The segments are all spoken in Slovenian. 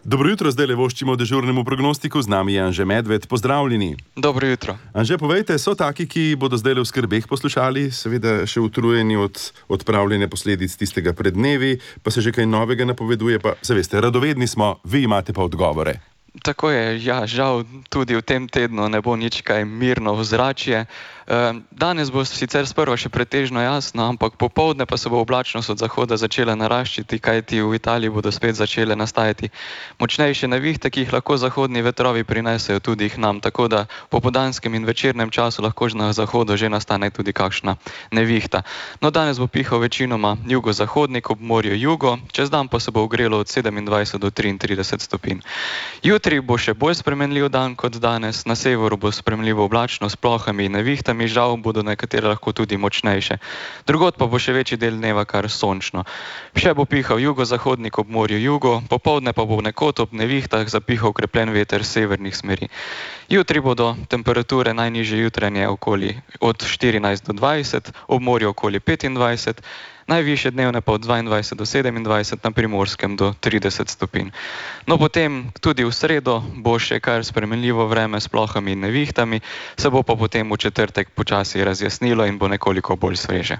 Dobro jutro, zdaj le voščimo dežurnemu prognostiku, z nami je Anže Medved, pozdravljeni. Dobro jutro. Anže, povejte, so taki, ki bodo zdaj le v skrbeh poslušali, seveda še utrujeni od odpravljene posledic tistega pred dnevi, pa se že kaj novega napoveduje, pa se veste, radovedni smo, vi imate pa odgovore. Tako je, ja, žal tudi v tem tednu ne bo nič kaj mirno ozračje. Danes bo sicer sprva še pretežno jasno, ampak popoldne pa se bo oblačnost od zahoda začela naraščati, kajti v Italiji bodo spet začele nastajati močnejše nevihte, ki jih lahko zahodni vetrovi prinesejo tudi k nam, tako da v popoldanskem in večernem času lahko na zahodu že nastane tudi kakšna nevihta. No, danes bo pihal večinoma jugozahodnik, ob morju jugo, čez dan pa se bo ogrelo od 27 do 33 stopinj. Jutri bo še bolj spremenljiv dan kot danes, na severu bo spremljivo oblačno s plohami in nevihtami, žal bodo nekatere lahko tudi močnejše. Drugod pa bo še večji del dneva kar sončno. Še bo pihal jugozahodnik ob morju jugo, popoldne pa bo nekod ob nevihtah zapihal okrepljen veter severnih smeri. Jutri bodo temperature najnižje jutranje okoli od 14 do 20, ob morju okoli 25, najvišje dnevne pa od 22 do 27, na Primorskem do 30 stopinj. No, potem tudi v sredo bo še kar spremenljivo vreme s plohami in nevihtami, se bo pa potem v četrtek počasi razjasnilo in bo nekoliko bolj sveže.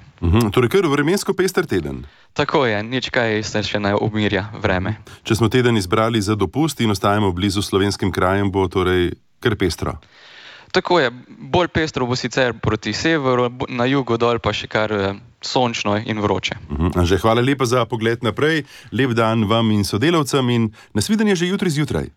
Torej, kar vremensko pester teden. Tako je, nič kaj se še ne umirja vreme. Če smo teden izbrali za dopust in ostajamo blizu slovenskim krajem, bo torej kar pestro. Tako je, bolj pestro bo sicer proti severu, na jugu dol pa še kar sončno in vroče. Anže, hvala lepa za pogled naprej, lep dan vam in sodelavcem in nasvidenje že jutri zjutraj.